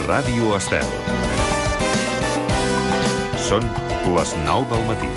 Ràdio Estel. Són les 9 del matí.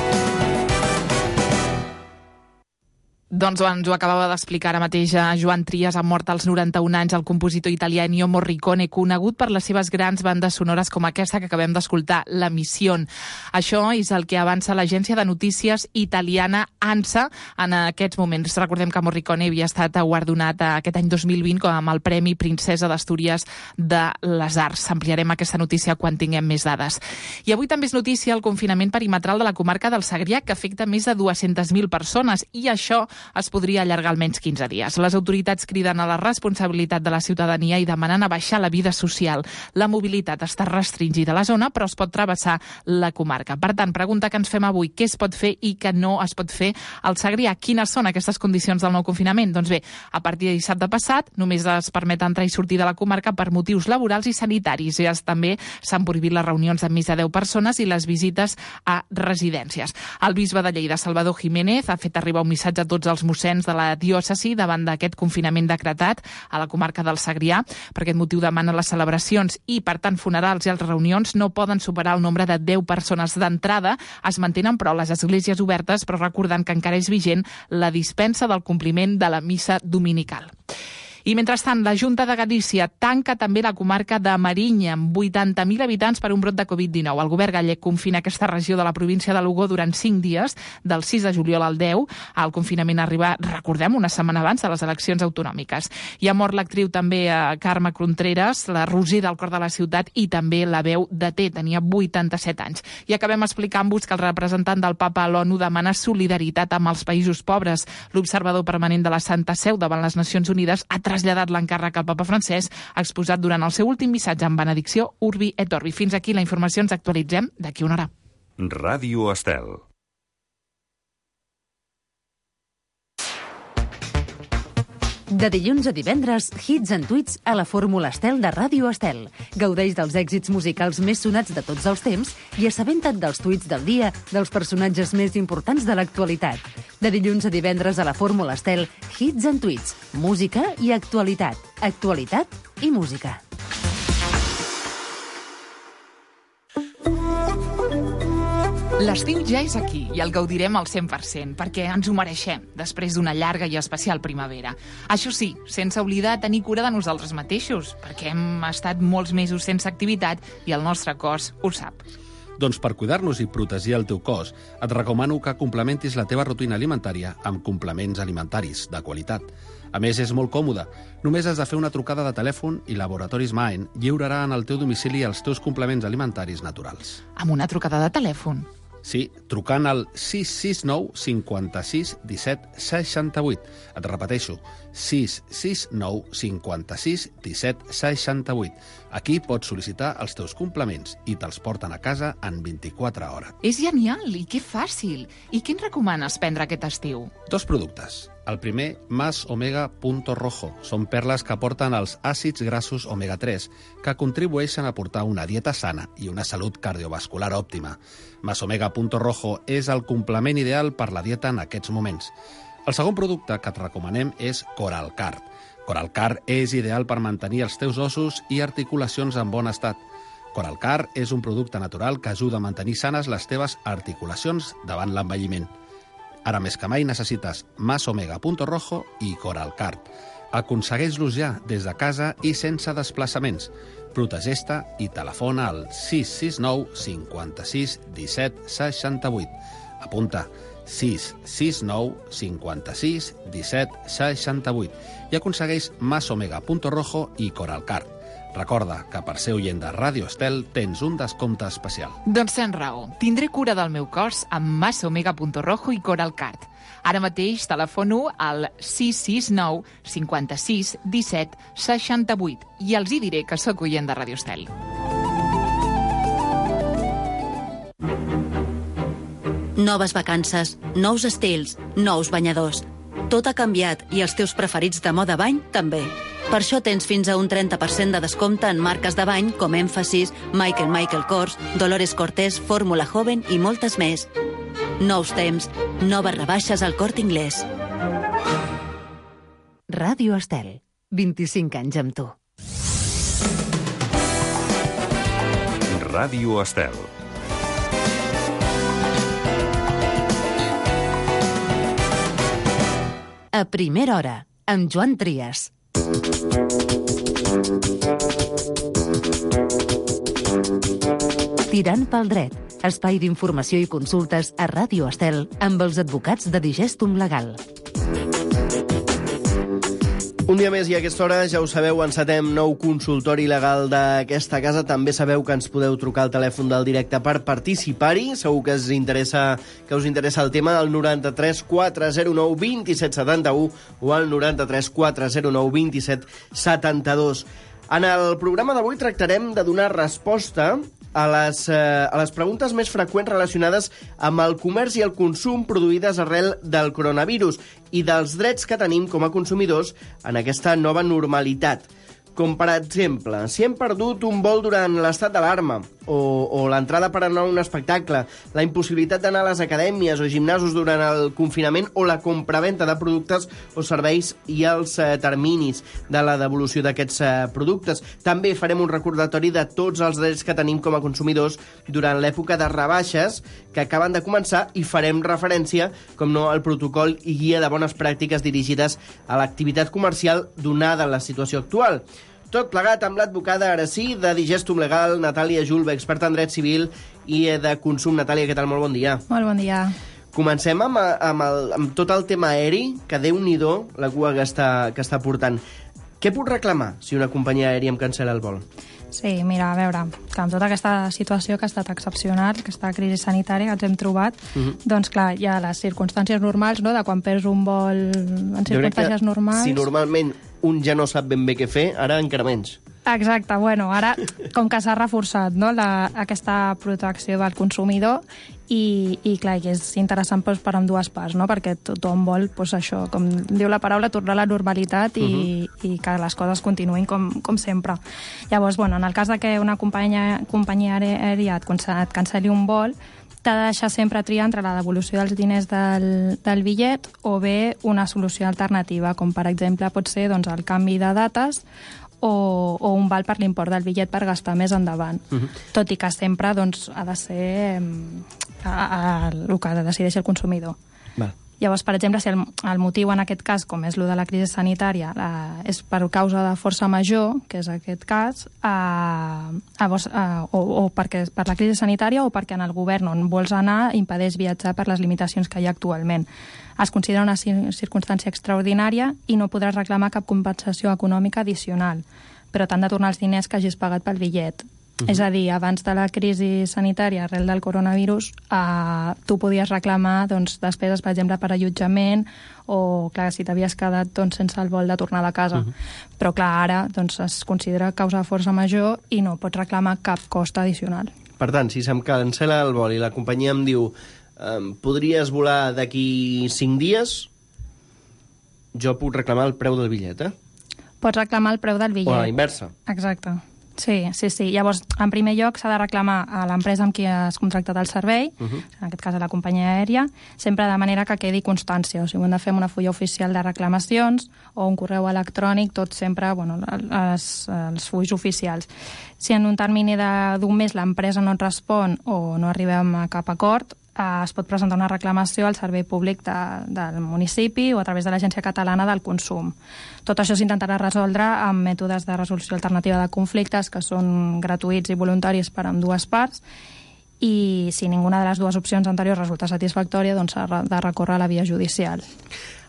Doncs ens ho acabava d'explicar ara mateix Joan Trias. Ha mort als 91 anys el compositor italià Ennio Morricone, conegut per les seves grans bandes sonores com aquesta que acabem d'escoltar, La Misión. Això és el que avança l'agència de notícies italiana ANSA en aquests moments. Recordem que Morricone havia estat guardonat aquest any 2020 com amb el Premi Princesa d'Astúries de les Arts. Ampliarem aquesta notícia quan tinguem més dades. I avui també és notícia el confinament perimetral de la comarca del Segrià, que afecta més de 200.000 persones, i això es podria allargar almenys 15 dies. Les autoritats criden a la responsabilitat de la ciutadania i demanen abaixar la vida social. La mobilitat està restringida a la zona, però es pot travessar la comarca. Per tant, pregunta que ens fem avui: què es pot fer i què no es pot fer al Segrià? Quines són aquestes condicions del nou confinament? Doncs bé, a partir de dissabte passat només es permet entrar i sortir de la comarca per motius laborals i sanitaris. I també s'han prohibit les reunions amb més de 10 persones i les visites a residències. El bisbe de Lleida, Salvador Jiménez, ha fet arribar un missatge a tots els mossens de la diòcesi davant d'aquest confinament decretat a la comarca del Segrià. Per aquest motiu demana les celebracions i, per tant, funerals i altres reunions no poden superar el nombre de 10 persones d'entrada. Es mantenen, però, les esglésies obertes, però recordant que encara és vigent la dispensa del compliment de la missa dominical. I, mentrestant, la Junta de Galícia tanca també la comarca de Marinya, amb 80.000 habitants per un brot de Covid-19. El govern gallec confina aquesta regió de la província de Lugo durant 5 dies, del 6 de juliol al 10. El confinament arriba, recordem, una setmana abans de les eleccions autonòmiques. I ha mort l'actriu també Carme Contreras, la Roser del cor de la ciutat, i també la veu de T. Tenia 87 anys. I acabem explicant-vos que el representant del Papa a l'ONU demana solidaritat amb els països pobres. L'observador permanent de la Santa Seu davant les Nacions Unides ha traslladat l'encàrrec al papa francès, exposat durant el seu últim missatge en benedicció Urbi et Orbi. Fins aquí la informació, ens actualitzem d'aquí una hora. Ràdio Estel. De dilluns a divendres, hits and tweets a la Fórmula Estel de Ràdio Estel. Gaudeix dels èxits musicals més sonats de tots els temps i assabenta't dels tuits del dia dels personatges més importants de l'actualitat. De dilluns a divendres a la Fórmula Estel, hits and tweets, música i actualitat. Actualitat i música. L'estiu ja és aquí i el gaudirem al 100%, perquè ens ho mereixem, després d'una llarga i especial primavera. Això sí, sense oblidar tenir cura de nosaltres mateixos, perquè hem estat molts mesos sense activitat i el nostre cos ho sap. Doncs per cuidar-nos i protegir el teu cos, et recomano que complementis la teva rutina alimentària amb complements alimentaris de qualitat. A més, és molt còmode. Només has de fer una trucada de telèfon i Laboratoris Maen lliurarà en el teu domicili els teus complements alimentaris naturals. Amb una trucada de telèfon? Sí, trucant al 669 56 17 68. Et repeteixo, 669 56 17 68. Aquí pots sol·licitar els teus complements i te'ls porten a casa en 24 hores. És genial i que fàcil. I què ens recomanes prendre aquest estiu? 2 productes. El primer, Más Omega Punto Rojo. Són perles que aporten els àcids grassos omega-3, que contribueixen a portar una dieta sana i una salut cardiovascular òptima. Más Omega Punto Rojo és el complement ideal per la dieta en aquests moments. El segon producte que et recomanem és Coralcard. Coralcard és ideal per mantenir els teus ossos i articulacions en bon estat. Coralcard és un producte natural que ajuda a mantenir sanes les teves articulacions davant l'envelliment. Ara més que mai necessites Más Omega Punto Rojo i Coralcard. Aconsegueix-los ja des de casa i sense desplaçaments. Protegeix-te i telefona al 669 56 17 68. Apunta 669 56 17 68 i aconsegueix Más Omega Punto Rojo i Coralcard. Recorda que per ser oient de Ràdio Estel tens un descompte especial. Doncs tens raó. Tindré cura del meu cos amb Más Omega Punto Rojo i Coralcard. Ara mateix telefono al 669 56 17 68 i els hi diré que sóc oient de Ràdio Estel. Noves vacances, nous estils, nous banyadors. Tot ha canviat i els teus preferits de moda bany també. Per això tens fins a un 30% de descompte en marques de bany com Emphasis, Michael Kors, Dolores Cortés, Fórmula Joven i moltes més. Nous temps, noves rebaixes al Corte Inglés. Ràdio Estel, 25 anys amb tu. Ràdio Estel. A primera hora, amb Joan Trias. Tirant pel dret, espai d'informació i consultes a Ràdio Estel amb els advocats de Digestum Legal. Un dia més i a aquesta hora, ja ho sabeu, encetem nou consultori legal d'aquesta casa. També sabeu que ens podeu trucar al telèfon del directe per participar-hi. Segur que us interessa el tema, al 93 409 27 71 o al 93 409 27 72. En el programa d'avui tractarem de donar resposta a les preguntes més freqüents relacionades amb el comerç i el consum produïdes arrel del coronavirus i dels drets que tenim com a consumidors en aquesta nova normalitat. Com, per exemple, si hem perdut un vol durant l'estat d'alarma o l'entrada per anar a un espectacle, la impossibilitat d'anar a les acadèmies o gimnasos durant el confinament o la compraventa de productes o serveis i els terminis de la devolució d'aquests productes. També farem un recordatori de tots els drets que tenim com a consumidors durant l'època de rebaixes que acaben de començar i farem referència, com no, al protocol i guia de bones pràctiques dirigides a l'activitat comercial donada la situació actual. Tot plegat amb l'advocada, ara sí, de Digestum Legal, Natàlia Julve, experta en dret civil i de consum. Natàlia, què tal? Molt bon dia. Molt bon dia. Comencem amb tot el tema aeri, que Déu-n'hi-do la cua que està portant. Què puc reclamar si una companyia aèria em cancel·la el vol? Sí, mira, a veure, que amb tota aquesta situació que ha estat excepcional, aquesta crisi sanitària que ens hem trobat, doncs clar, hi ha les circumstàncies normals, no?, de quan perds un vol en circumstàncies normals. Si normalment un ja no sap ben bé què fer, ara encara menys. Exacte, bueno, ara com que s'ha reforçat, no?, aquesta protecció del consumidor i clar, que és interessant doncs, per ambdues parts, no?, perquè tothom vol, doncs, això, com diu la paraula, tornar a la normalitat i que les coses continuïn com sempre. Llavors, bueno, en el cas de que una companyia aèria et cancel·li un vol, t'ha de deixar sempre triar entre la devolució dels diners del bitllet o bé una solució alternativa, com per exemple pot ser doncs, el canvi de dates o un val per l'import del bitllet per gastar més endavant. Tot i que sempre doncs, ha de ser el que decideixi el consumidor. Val. Llavors, per exemple, si el motiu en aquest cas, com és el de la crisi sanitària, és per causa de força major, que és aquest cas, o perquè per la crisi sanitària o perquè en el govern on vols anar impedeix viatjar per les limitacions que hi ha actualment. Es considera una circumstància extraordinària i no podràs reclamar cap compensació econòmica addicional, però t'han de tornar els diners que hagis pagat pel bitllet. És a dir, abans de la crisi sanitària arrel del coronavirus, tu podies reclamar doncs, despeses, per exemple, per allotjament o, clar, si t'havies quedat doncs, sense el vol de tornar a casa. Però, clar, ara doncs, es considera causa de força major i no pots reclamar cap cost addicional. Per tant, si se'm cancel·la el vol i la companyia em diu podries volar d'aquí 5 dies, jo puc reclamar el preu del bitllet, Pots reclamar el preu del bitllet. O a la inversa. Exacte. Sí. Llavors, en primer lloc, s'ha de reclamar a l'empresa amb qui has contractat el servei, en aquest cas a la companyia aèria, sempre de manera que quedi constància. O sigui, ho hem de fer amb una fulla oficial de reclamacions o un correu electrònic, tot sempre, bueno, els fulls oficials. Si en un termini d'un mes l'empresa no et respon o no arribem a cap acord, es pot presentar una reclamació al servei públic del municipi o a través de l'Agència Catalana del Consum. Tot això s'intentarà resoldre amb mètodes de resolució alternativa de conflictes que són gratuïts i voluntaris per a ambdues parts i si ninguna de les dues opcions anteriors resulta satisfactòria, doncs s'ha de recórrer a la via judicial.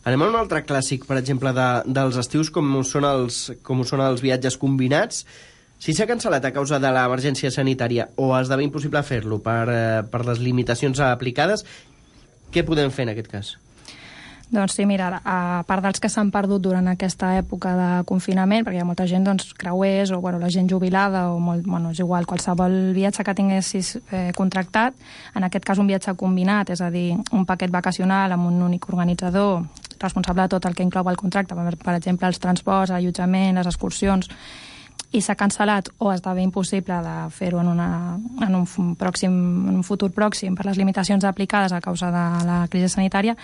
Anem a un altre clàssic, per exemple, dels estius, com ho són els viatges combinats. Si s'ha cancel·lat a causa de l'emergència sanitària o esdevé impossible fer-lo per les limitacions aplicades, què podem fer en aquest cas? Doncs sí, mira, a part dels que s'han perdut durant aquesta època de confinament, perquè hi ha molta gent, doncs, creuers o la gent jubilada o és igual, qualsevol viatge que tinguessis contractat, en aquest cas un viatge combinat, és a dir, un paquet vacacional amb un únic organitzador responsable de tot el que inclou el contracte, per exemple, els transports, l'allotjament, les excursions, i s'ha cancel·lat o esdevé impossible de fer-ho en un futur pròxim per les limitacions aplicades a causa de la crisi sanitària,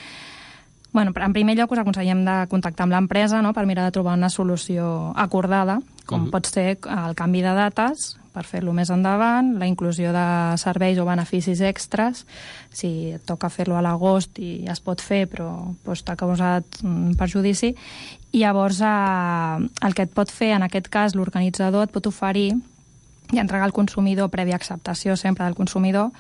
en primer lloc us aconsellem de contactar amb l'empresa, no?, per mirar de trobar una solució acordada, com pot ser el canvi de dates per fer-lo més endavant, la inclusió de serveis o beneficis extras, si et toca fer-lo a l'agost i es pot fer, però t'ha causat perjudici, i llavors el que et pot fer, en aquest cas, l'organitzador et pot oferir i entregar al consumidor, prèvia acceptació sempre del consumidor,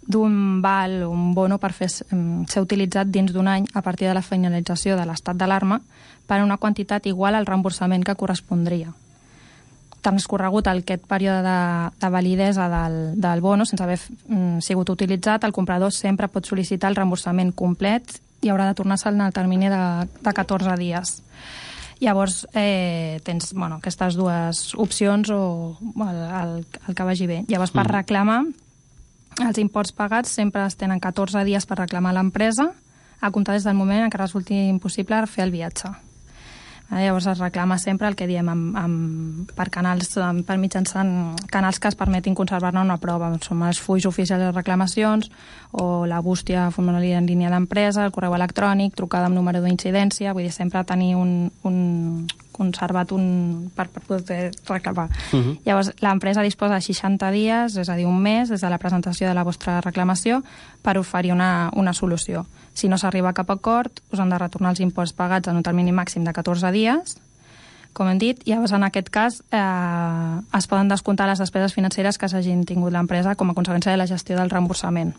d'un val o un bono per ser utilitzat dins d'un any a partir de la finalització de l'estat d'alarma per una quantitat igual al reemborsament que correspondria. Transcorregut aquest període de validesa del bono, sense haver sigut utilitzat, el comprador sempre pot sol·licitar el reemborsament complet i haurà de tornar-se'l en el termini de 14 dies. Llavors, tens aquestes dues opcions o el que vagi bé. Llavors, per reclamar, els imports pagats sempre es tenen 14 dies per reclamar a l'empresa, a comptar des del moment en què resulti impossible fer el viatge. Llavors es reclama sempre el que diem per canals, per mitjançant canals que es permetin conservar-ne una prova. Són els fulls oficials de reclamacions o la bústia formulària en línia d'empresa, el correu electrònic, trucada amb número d'incidència, vull dir, sempre tenir conservat per poder reclamar. Llavors, l'empresa disposa de 60 dies, és a dir, un mes, des de la presentació de la vostra reclamació, per oferir una solució. Si no s'arriba a cap acord, us han de retornar els imports pagats en un termini màxim de 14 dies, com hem dit, i llavors en aquest cas es poden descomptar les despeses financeres que s'hagin tingut l'empresa com a conseqüència de la gestió del reemborsament.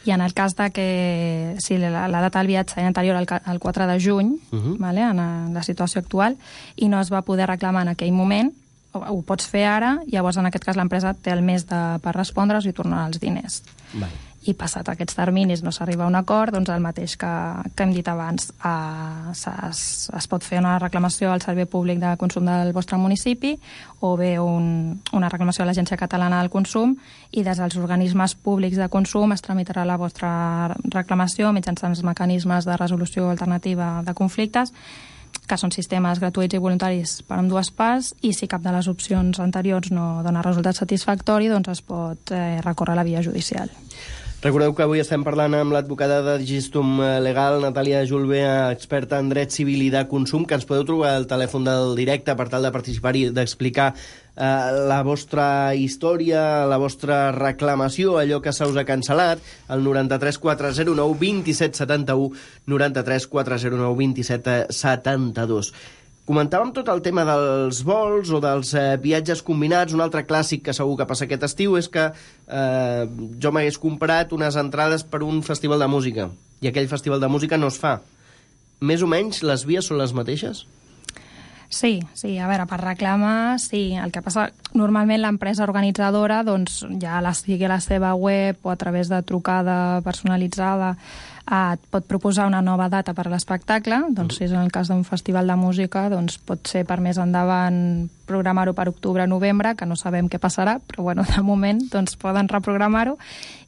I en el cas de que si la data del viatge era anterior al 4 de juny, en la situació actual, i no es va poder reclamar en aquell moment, ho pots fer ara, llavors en aquest cas l'empresa té el mes per respondre's i tornar els diners. I passat aquests terminis no s'arriba a un acord, doncs el mateix que hem dit abans, es pot fer una reclamació al Servei Públic de Consum del vostre municipi o bé una reclamació a l'Agència Catalana del Consum, i des dels organismes públics de consum es tramitarà la vostra reclamació mitjançant els mecanismes de resolució alternativa de conflictes, que són sistemes gratuïts i voluntaris per ambdues parts, i si cap de les opcions anteriors no dona resultat satisfactori, doncs es pot recórrer a la via judicial. Recordeu que avui estem parlant amb l'advocada de Gistum Legal, Natàlia Julve, experta en dret civil i de consum, que ens podeu trobar al telèfon del directe per tal de participar i d'explicar la vostra història, la vostra reclamació, allò que se us ha cancel·lat, el 93 409 27 71, 93 409 27 72. Comentàvem tot el tema dels vols o dels viatges combinats. Un altre clàssic que segur que passa aquest estiu és que jo m'hagués comprat unes entrades per un festival de música i aquell festival de música no es fa. Més o menys les vies són les mateixes? Sí, a veure, per reclamar, sí. El que passa, normalment l'empresa organitzadora, doncs, ja sigui a la seva web o a través de trucada personalitzada, et pot proposar una nova data per a l'espectacle. Doncs si és en el cas d'un festival de música, doncs pot ser per més endavant programar-ho per octubre-novembre, que no sabem què passarà, però bueno, de moment doncs poden reprogramar-ho.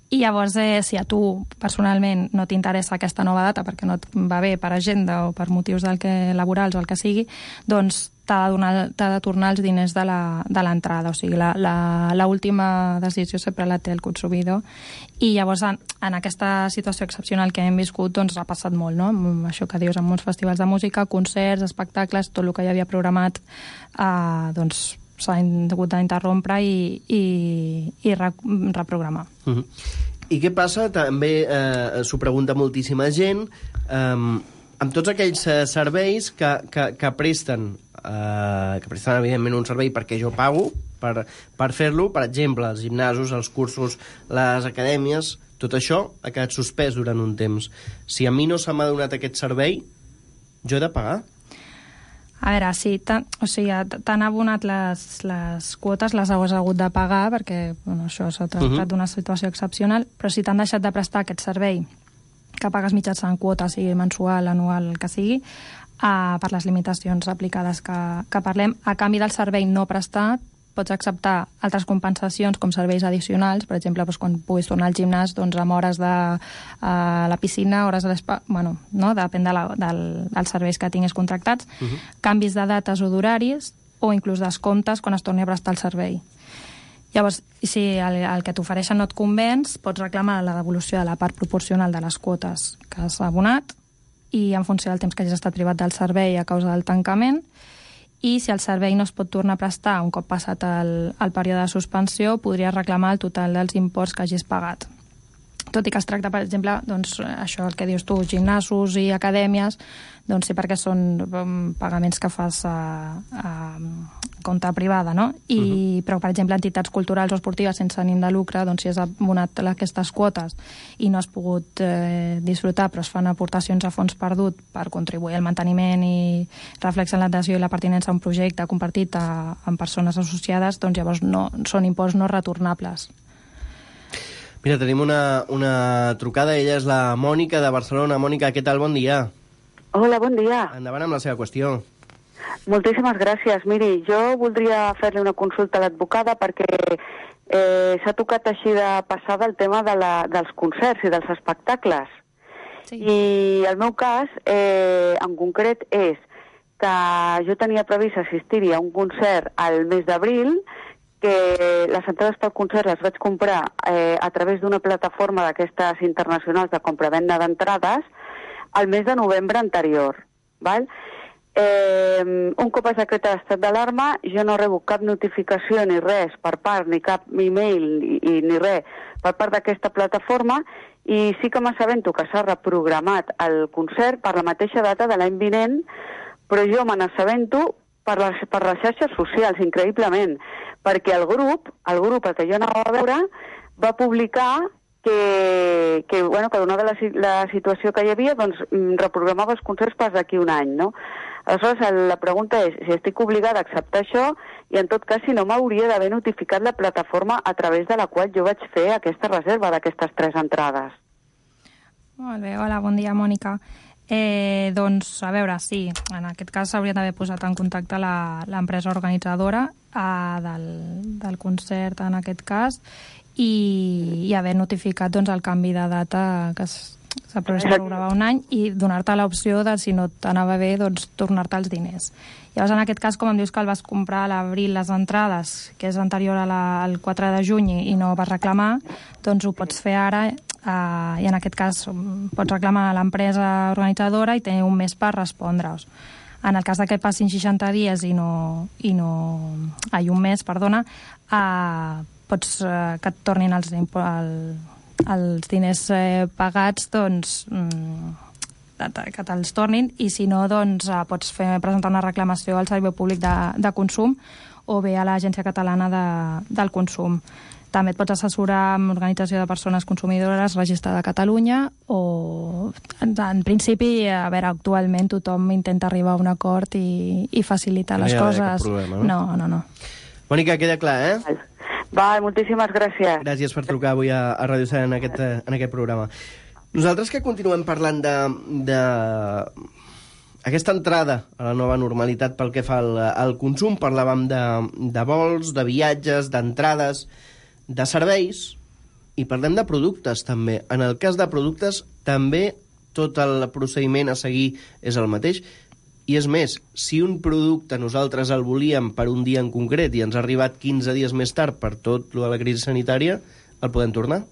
I llavors, si a tu personalment no t'interessa aquesta nova data perquè no et va bé per agenda o per motius laborals o el que sigui, doncs t'ha de tornar els diners de l'entrada. O sigui, l'última decisió sempre la té el consumidor. I llavors, en aquesta situació excepcional que hem viscut, doncs ha passat molt, no? Això que dius, en molts festivals de música, concerts, espectacles, tot el que ja havia programat, doncs s'ha hagut d'interrompre i reprogramar. I què passa? També s'ho pregunta moltíssima gent, amb tots aquells serveis que presten evidentment un servei perquè jo pago per fer-lo, per exemple, els gimnasos, els cursos, les acadèmies, tot això ha quedat suspès durant un temps. Si a mi no se m'ha donat aquest servei, jo he de pagar? A veure, sí, t'han abonat les quotes, les has hagut de pagar, perquè això s'ha tractat d'una situació excepcional, però si t'han deixat de prestar aquest servei que pagues mitjançant quota, sigui mensual, anual, el que sigui, per les limitacions aplicades que parlem, a canvi del servei no prestat, pots acceptar altres compensacions com serveis addicionals, per exemple, quan puguis tornar al gimnàs, amb hores de la piscina, hores de l'espa, depèn dels serveis que tinguis contractats, canvis de dates o d'horaris, o inclús descomptes quan es torni a prestar el servei. Llavors, si el que t'ofereixen no et convenç, pots reclamar la devolució de la part proporcional de les quotes que has abonat i en funció del temps que hagis estat privat del servei a causa del tancament, i si el servei no es pot tornar a prestar un cop passat el període de suspensió, podries reclamar el total dels imports que hagis pagat. Tot i que es tracta, per exemple, doncs, això el que dius tu, gimnasos i acadèmies, doncs sí, perquè són pagaments que fas a compte privada, no? Però, per exemple, entitats culturals o esportives sense ànim de lucre, doncs si has abonat aquestes quotes i no has pogut disfrutar, però es fan aportacions a fons perdut per contribuir al manteniment i reflexar l'adhesió i la pertinença a un projecte compartit amb persones associades, doncs llavors són imports no retornables. Mira, tenim una trucada. Ella és la Mònica de Barcelona. Mònica, què tal? Bon dia. Hola, bon dia. Endavant amb la seva qüestió. Moltíssimes gràcies. Miri, jo voldria fer-li una consulta a l'advocada perquè s'ha tocat així de passada el tema dels concerts i dels espectacles. Sí. I el meu cas, en concret, és que jo tenia previst assistir-hi a un concert al mes d'abril, que les entrades pel concert les vaig comprar a través d'una plataforma d'aquestes internacionals de compra-venda d'entrades al mes de novembre anterior. Val? Un cop es decreta l'estat d'alarma, jo no rebo cap notificació ni res per part, ni cap email ni res per part d'aquesta plataforma, i sí que m'assabento que s'ha reprogramat el concert per la mateixa data de l'any vinent, però jo me n'assabento per les xarxes socials, increïblement, perquè el grup al que jo anava a veure va publicar que donada la situació que hi havia, doncs reprogramava els concerts per d'aquí un any, no? Aleshores, la pregunta és si estic obligada a acceptar això i, en tot cas, si no m'hauria d'haver notificat la plataforma a través de la qual jo vaig fer aquesta reserva d'aquestes 3 entrades. Molt bé, hola, bon dia, Mònica. Doncs, a veure, sí, en aquest cas s'hauria d'haver posat en contacte l'empresa organitzadora del concert, en aquest cas, i haver notificat doncs, el canvi de data que s'ha programat un any i donar-te l'opció de, si no t'anava bé, doncs tornar-te els diners. Llavors, en aquest cas, com em dius que el vas comprar a l'abril les entrades, que és anterior al 4 de juny i no vas reclamar, doncs ho pots fer ara i en aquest cas pots reclamar a l'empresa organitzadora i tenir un mes per respondre-us. En el cas que passin 60 dies un mes, perdona, pots que et tornin els diners pagats, doncs que te'ls tornin, i si no, doncs pots presentar una reclamació al Servei Públic de Consum o bé a l'Agència Catalana del Consum. També et pots assessorar amb l'Organització de Persones Consumidores registrada a Catalunya o, en principi, a veure, actualment tothom intenta arribar a un acord i facilitar les coses. Cap problema, No. Mònica, queda clar, eh? Va, moltíssimes gràcies. Gràcies per trucar avui a Ràdio Estel en aquest programa. Nosaltres que continuem parlant de aquesta entrada a la nova normalitat pel que fa al consum, parlàvem de vols, de viatges, d'entrades, de serveis, i parlem de productes també. En el cas de productes també tot el procediment a seguir és el mateix, i és més, si un producte nosaltres el volíem per un dia en concret i ens ha arribat 15 dies més tard per tot lo de la crisi sanitària, el podem tornar?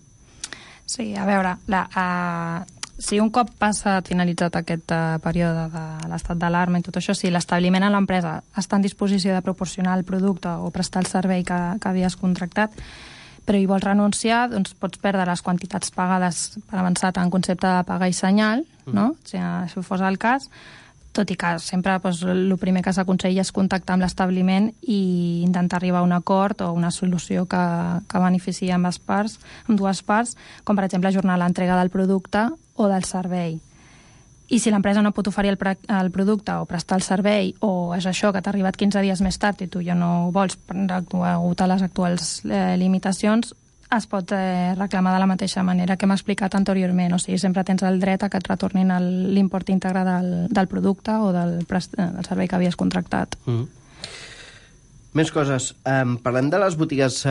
Sí, a veure, si un cop finalitzat aquest període de l'estat d'alarma i tot això, si l'establiment a l'empresa està en disposició de proporcionar el producte o prestar el servei que havies contractat, però hi vols renunciar, doncs pots perdre les quantitats pagades per avançat en concepte de paga i senyal, no? Si això fos el cas, tot i que sempre el primer que s'aconsella és contactar amb l'establiment i intentar arribar a un acord o una solució que beneficiï amb dues parts, com per exemple ajornar l'entrega del producte o del servei. I si l'empresa no pot oferir el producte o prestar el servei, o és això que t'ha arribat 15 dies més tard i tu ja no ho vols degut a les actuals limitacions, es pot reclamar de la mateixa manera que hem explicat anteriorment. O sigui, sempre tens el dret a que et retornin l'import íntegre del producte o del servei que havies contractat. Més coses. Parlem de les botigues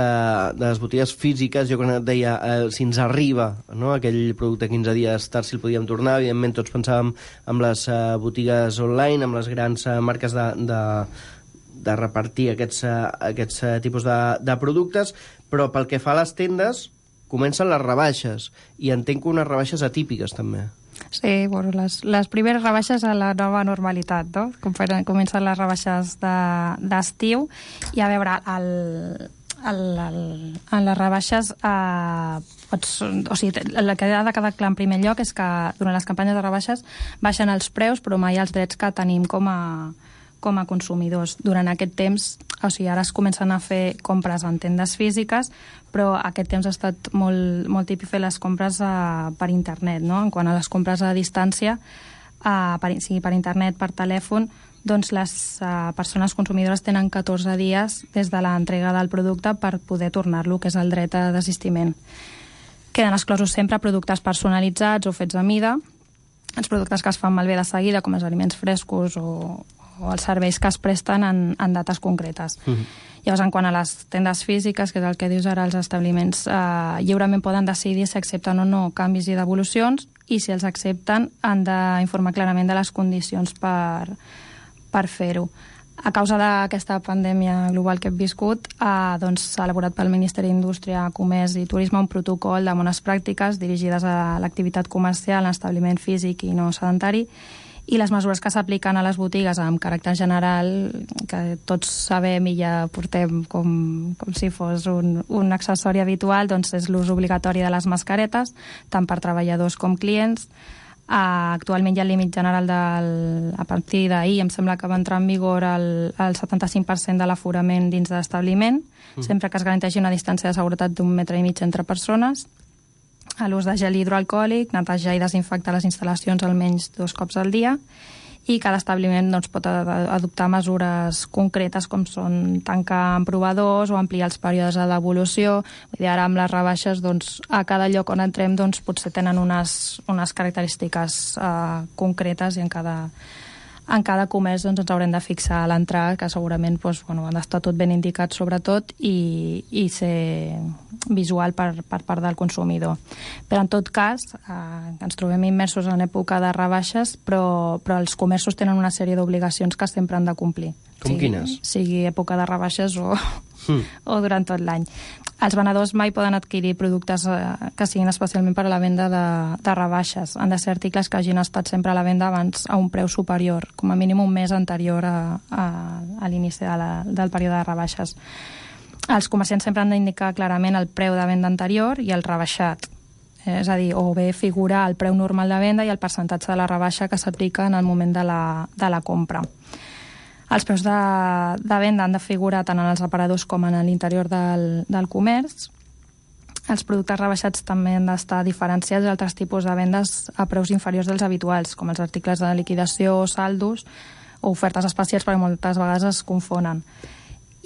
físiques. Jo quan et deia, si ens arriba aquell producte 15 dies tard, si el podíem tornar, evidentment tots pensàvem en les botigues online, amb les grans marques de repartir aquests tipus de productes, però pel que fa a les tendes comencen les rebaixes, i entenc que unes rebaixes atípiques també. Sí, bueno, les primeres rebaixes a la nova normalitat, no? Comencen les rebaixes d'estiu i a veure, en les rebaixes o sigui, el que ha de quedar clar en primer lloc és que durant les campanyes de rebaixes baixen els preus però mai els drets que tenim com a consumidors. Durant aquest temps, o sigui, ara es comencen a fer compres en tendes físiques, però aquest temps ha estat molt típic fer les compres per internet, no? En quant a les compres a distància, sigui per internet, per telèfon, doncs les persones consumidores tenen 14 dies des de l'entrega del producte per poder tornar-lo, que és el dret a desistiment. Queden exclosos sempre productes personalitzats o fets a mida, els productes que es fan malbé de seguida, com els aliments frescos o els serveis que es presten en dates concretes. Llavors, en quant a les tendes físiques, que és el que dius ara, els establiments lliurement poden decidir si accepten o no canvis i devolucions, i si els accepten han d'informar clarament de les condicions per fer-ho. A causa d'aquesta pandèmia global que hem viscut, doncs s'ha elaborat pel Ministeri d'Indústria, Comerç i Turisme un protocol de bones pràctiques dirigides a l'activitat comercial en establiment físic i no sedentari, i les mesures que s'apliquen a les botigues amb caràcter general, que tots sabem i ja portem com si fos un accessori habitual, doncs és l'ús obligatori de les mascaretes, tant per treballadors com clients. Actualment hi ha el límit general a partir d'ahir, em sembla que va entrar en vigor el 75% de l'aforament dins de l'establiment, sempre que es garanteixi una distància de seguretat d'1,5 metre entre persones, a l'ús de gel hidroalcohòlic, netejar i desinfectar les instal·lacions almenys 2 cops al dia, i cada establiment doncs, pot adoptar mesures concretes com són tancar provadors o ampliar els períodes de devolució. Vull dir, ara amb les rebaixes, doncs, a cada lloc on entrem doncs, potser tenen unes característiques concretes, i en cada comerç doncs, ens haurem de fixar a l'entrada, que segurament doncs, han d'estar tot ben indicat sobretot i ser visual per part del consumidor. Però en tot cas, ens trobem immersos en època de rebaixes, però els comerços tenen una sèrie d'obligacions que sempre han de complir. Com quines? Sigui època de rebaixes o durant tot l'any. Els venedors mai poden adquirir productes que siguin especialment per a la venda de rebaixes. Han de ser articles que hagin estat sempre a la venda abans a un preu superior, com a mínim un mes anterior a l'inici del període de rebaixes. Els comerciants sempre han d'indicar clarament el preu de venda anterior i el rebaixat. És a dir, o bé figurar el preu normal de venda i el percentatge de la rebaixa que s'aplica en el moment de la compra. Els preus de venda han de figurar tant en els aparadors com en l'interior del comerç. Els productes rebaixats també han d'estar diferenciats d'altres tipus de vendes a preus inferiors dels habituals, com els articles de liquidació, saldos o ofertes especials, perquè moltes vegades es confonen.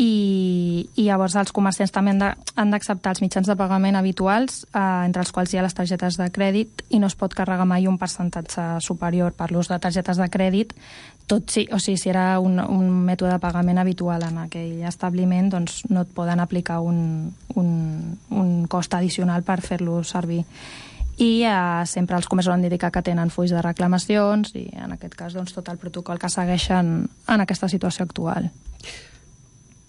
I llavors els comerciants també han d'acceptar els mitjans de pagament habituals, entre els quals hi ha les targetes de crèdit, i no es pot carregar mai un percentatge superior per l'ús de targetes de crèdit, si era un mètode de pagament habitual en aquell establiment, doncs no et poden aplicar un cost addicional per fer-lo servir. I sempre els comerços han d'indicar que tenen fulls de reclamacions i en aquest cas doncs, tot el protocol que segueixen en aquesta situació actual.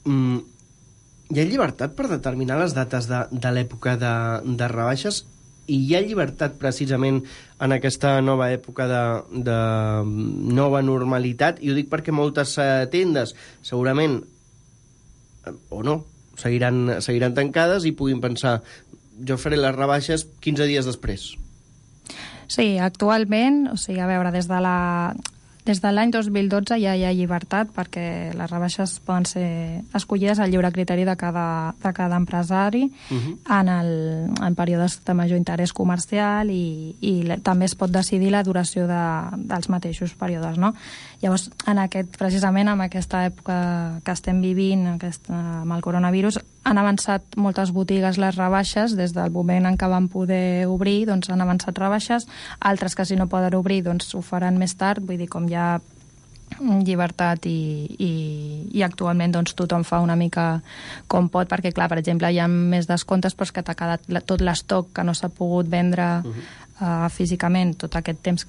Hi ha llibertat per determinar les dates de l'època de rebaixes, i hi ha llibertat precisament en aquesta nova època de nova normalitat, i ho dic perquè moltes tendes segurament o no seguiran tancades i puguin pensar, jo faré les rebaixes 15 dies després. Sí, actualment, a veure, des de l'any 2012 ja hi ha llibertat, perquè les rebaixes poden ser escollides al lliure criteri de cada empresari en períodes de major interès comercial, i també es pot decidir la duració dels mateixos períodes, no? Llavors, precisament en aquesta època que estem vivint, amb el coronavirus, han avançat moltes botigues les rebaixes. Des del moment en què van poder obrir, doncs han avançat rebaixes, altres que si no poden obrir doncs ho faran més tard. Vull dir, com hi ha llibertat i actualment doncs tothom fa una mica com pot, perquè clar, per exemple, hi ha més descomptes, però és que t'ha quedat tot l'estoc que no s'ha pogut vendre físicament tot aquest temps,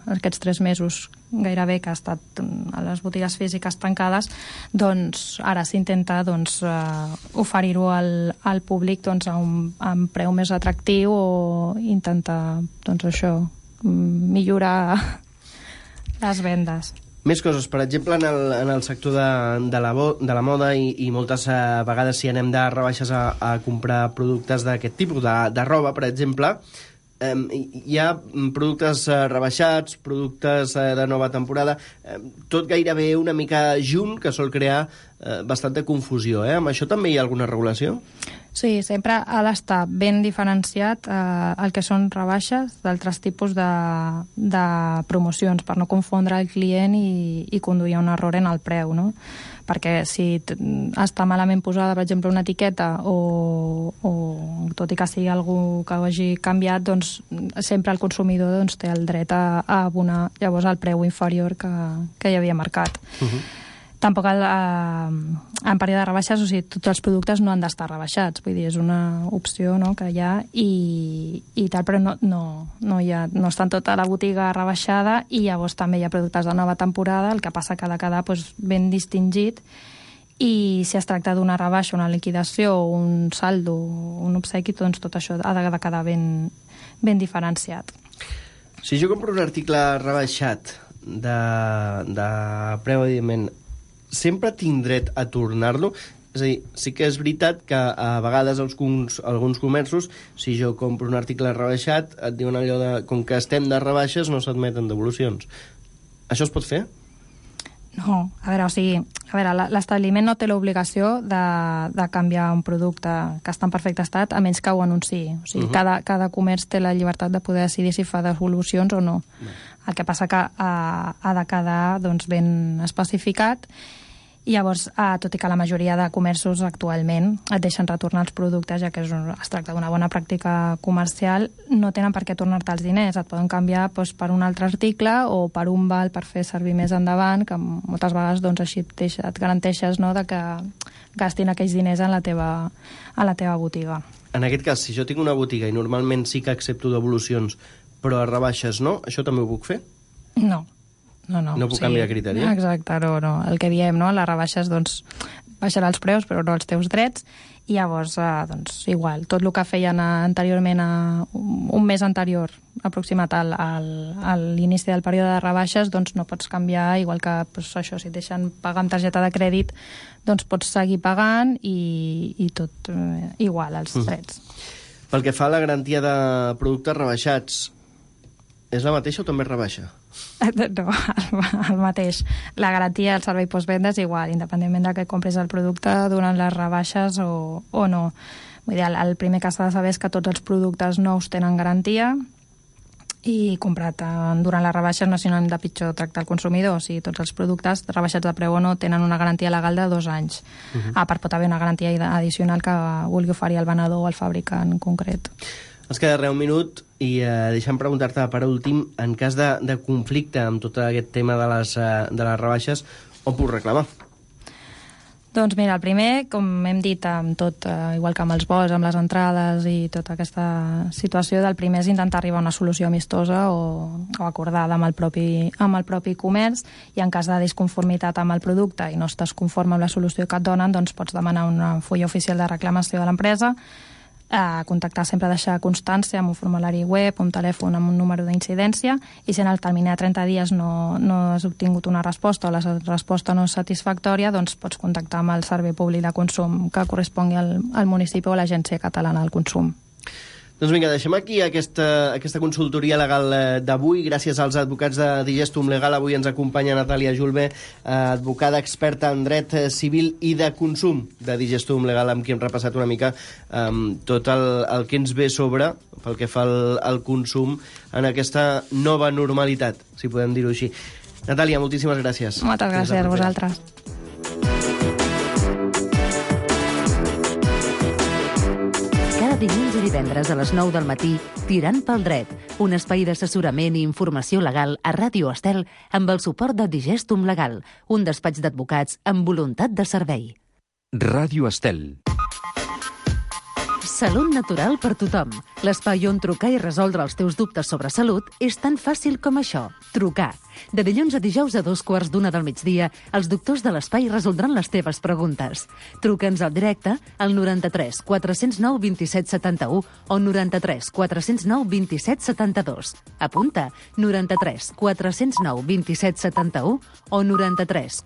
aquests 3 mesos gairebé que ha estat a les botigues físiques tancades, doncs ara s'intenta oferir-ho al públic a un preu més atractiu, o intentar millorar les vendes. Més coses, per exemple, en el sector de la moda i moltes vegades si anem de rebaixes a comprar productes d'aquest tipus, de roba, per exemple, hi ha productes rebaixats, productes de nova temporada, tot gairebé una mica junt, que sol crear bastanta confusió. Amb això també hi ha alguna regulació? Sí, sempre ha d'estar ben diferenciat el que són rebaixes d'altres tipus de promocions, per no confondre el client i conduir un error en el preu, no? Perquè si està malament posada, per exemple, una etiqueta o tot i que sigui algú que ho hagi canviat, doncs sempre el consumidor té el dret a abonar llavors el preu inferior que hi havia marcat. Tampoc en període de rebaixes, o sigui, tots els productes no han d'estar rebaixats, vull dir, és una opció, no?, que hi ha i tal, però no està en tota la botiga rebaixada i llavors també hi ha productes de nova temporada, el que passa que ha de quedar ben distingit i si es tracta d'una rebaixa, una liquidació, un saldo, un obsequi, doncs tot això ha de quedar ben diferenciat. Si jo compro un article rebaixat de preu, evidentment, sempre tinc dret a tornar-lo? És a dir, sí que és veritat que a vegades alguns comerços, si jo compro un article rebaixat, et diuen allò de, com que estem de rebaixes, no s'admeten devolucions. Això es pot fer? No, l'establiment no té l'obligació de canviar un producte que està en perfecte estat, a menys que ho anunciï. O sigui, cada comerç té la llibertat de poder decidir si fa devolucions o no. El que passa que ha de quedar ben especificat i llavors, tot i que la majoria de comerços actualment et deixen retornar els productes, ja que es tracta d'una bona pràctica comercial, no tenen per què tornar-te els diners. Et poden canviar per un altre article o per un val per fer servir més endavant, que moltes vegades així et garanteixes, no?, de que gastin aquells diners a la teva botiga. En aquest cas, si jo tinc una botiga i normalment sí que accepto devolucions, però a rebaixes no, això també ho puc fer? No. No puc canviar criteri? Exacte, no. El que diem, no? Les rebaixes, baixarà els preus, però no els teus drets, i llavors, igual, tot el que feien anteriorment, un mes anterior, aproximat a l'inici del període de rebaixes, no pots canviar, igual que això, si et deixen pagar amb targeta de crèdit, pots seguir pagant i tot igual, els drets. Pel que fa a la garantia de productes rebaixats, és la mateixa o també rebaixa? No, el mateix. La garantia del servei postvenda és igual, independentment de que compris el producte durant les rebaixes o no. Vull dir, el primer que s'ha de saber és que tots els productes nous tenen garantia i comprat durant les rebaixes no sinònim de pitjor tractar el consumidor. O sigui, tots els productes rebaixats de preu o no tenen una garantia legal de 2 anys. A part, pot haver una garantia addicional que vulgui oferir el venedor o el fabricant en concret. Ens queda res un minut i deixa'm preguntar-te per últim, en cas de conflicte amb tot aquest tema de les rebaixes, on puc reclamar? Doncs mira, el primer, com hem dit, amb tot, igual que amb els vols, amb les entrades i tota aquesta situació, del primer és intentar arribar a una solució amistosa o acordada amb el propi comerç, i en cas de disconformitat amb el producte i no estàs conforme amb la solució que et donen, doncs pots demanar una fulla oficial de reclamació de l'empresa, contactar, sempre deixar constància amb un formulari web, un telèfon amb un número d'incidència, i si en el termini de 30 dies no has obtingut una resposta o la resposta no és satisfactòria, doncs pots contactar amb el Servei Públic de Consum que correspongui al municipi o a l'Agència Catalana del Consum. Doncs vinga, deixem aquí aquesta consultoria legal d'avui. Gràcies als advocats de Digestum Legal. Avui ens acompanya Natàlia Julve, advocada experta en dret civil i de consum de Digestum Legal, amb qui hem repassat una mica tot el que ens ve sobre pel que fa al consum en aquesta nova normalitat, si podem dir-ho així. Natàlia, moltíssimes gràcies. Moltes gràcies a vosaltres. Dilluns i divendres a les 9 del matí, Tirant pel dret, un espai d'assessorament i informació legal a Ràdio Estel amb el suport de Digestum Legal, un despatx d'advocats amb voluntat de servei. Ràdio Estel. Salut natural per tothom. L'espai on trucar i resoldre els teus dubtes sobre salut és tan fàcil com això. Trucar. De dilluns a dijous a 2:15 del migdia, els doctors de l'espai resoldran les teves preguntes. Truca'ns al directe al 93 409 27 71 o 93 409 27 72. Apunta, 93 409 27 71 o 93 409